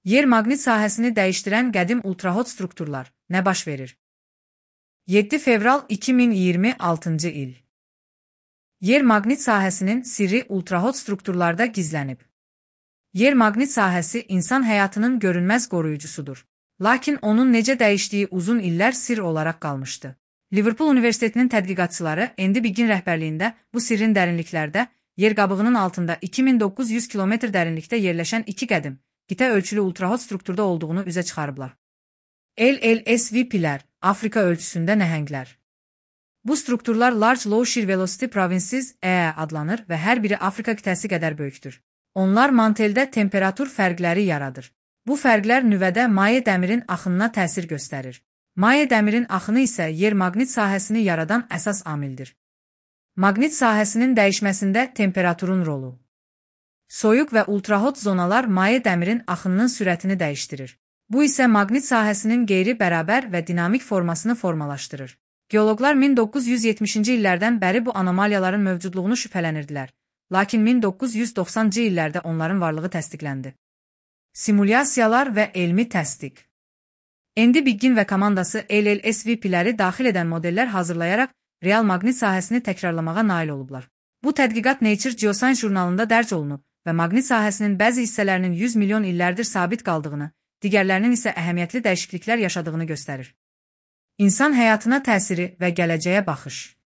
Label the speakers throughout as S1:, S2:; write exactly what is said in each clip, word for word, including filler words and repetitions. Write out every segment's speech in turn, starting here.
S1: Yer maqnit sahəsini dəyişdirən qədim ultrahot strukturlar nə baş verir? yeddi fevral iki min iyirmi altıncı il. Yer maqnit sahəsinin sirri ultrahot strukturlarda gizlənib. Yer maqnit sahəsi insan həyatının görünməz qoruyucusudur. Lakin onun necə dəyişdiyi uzun illər sirr olaraq qalmışdı. Liverpool Universitetinin tədqiqatçıları Andy Biggin rəhbərliyində bu sirrin dərinliklərdə, yer qabığının altında iki min doqquz yüz kilometr dərinlikdə yerləşən iki qədim, qitə ölçülü ultrahot strukturda olduğunu üzə çıxarıblar. L L S V P'lər, Afrika ölçüsündə nəhənglər. Bu strukturlar Large Low Shear Velocity Provinces E E adlanır və hər biri Afrika qitəsi qədər böyükdür. Onlar manteldə temperatur fərqləri yaradır. Bu fərqlər nüvədə maye dəmirin axınına təsir göstərir. Maye dəmirin axını isə yer maqnit sahəsini yaradan əsas amildir. Maqnit sahəsinin dəyişməsində temperaturun rolu. Soyuq və ultrahot zonalar maye dəmirin axınının sürətini dəyişdirir. Bu isə maqnit sahəsinin qeyri-bərabər və dinamik formasını formalaşdırır. Geoloqlar min doqquz yüz yetmişinci illərdən bəri bu anomaliyaların mövcudluğunu şübhələnirdilər, lakin min doqquz yüz doxsanıncı illərdə onların varlığı təsdiqləndi. Simulyasiyalar və elmi təsdiq. Andy Biggin və komandası L L S V P'ləri daxil edən modellər hazırlayaraq real maqnit sahəsini təkrarlamağa nail olublar. Bu tədqiqat Nature Geoscience jurnalında dərc olunub və maqnit sahəsinin bəzi hissələrinin yüz milyon illərdir sabit qaldığını, digərlərinin isə əhəmiyyətli dəyişikliklər yaşadığını göstərir. İnsan həyatına təsiri və gələcəyə baxış.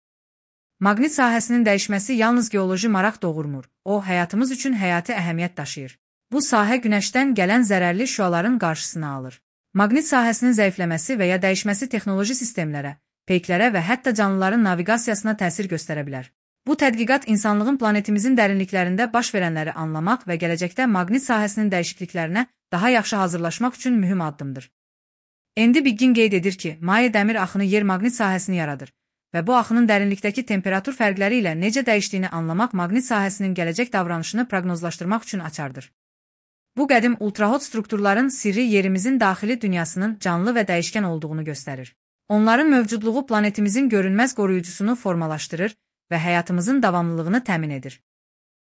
S1: Maqnit sahəsinin dəyişməsi yalnız geoloji maraq doğurmur, o, həyatımız üçün həyati əhəmiyyət daşıyır. Bu sahə günəşdən gələn zərərli şüaların qarşısını alır. Maqnit sahəsinin zəifləməsi və ya dəyişməsi texnoloji sistemlərə, peyklərə və hətta canlıların naviqasiyasına təsir göstərə bilər. Bu tədqiqat insanlığın planetimizin dərinliklərində baş verənləri anlamaq və gələcəkdə maqnit sahəsinin dəyişikliklərinə daha yaxşı hazırlaşmaq üçün mühüm addımdır. Andy Biggin qeyd edir ki, maye dəmir axını yer maqnit sahəsini yaradır və bu axının dərinlikdəki temperatur fərqləri ilə necə dəyişdiyini anlamaq maqnit sahəsinin gələcək davranışını proqnozlaşdırmaq üçün açardır. Bu qədim ultrahot strukturların sirri yerimizin daxili dünyasının canlı və dəyişkən olduğunu göstərir. Onların mövcudluğu planetimizin görünməz qoruyucusunu formalaşdırır və həyatımızın davamlılığını təmin edir.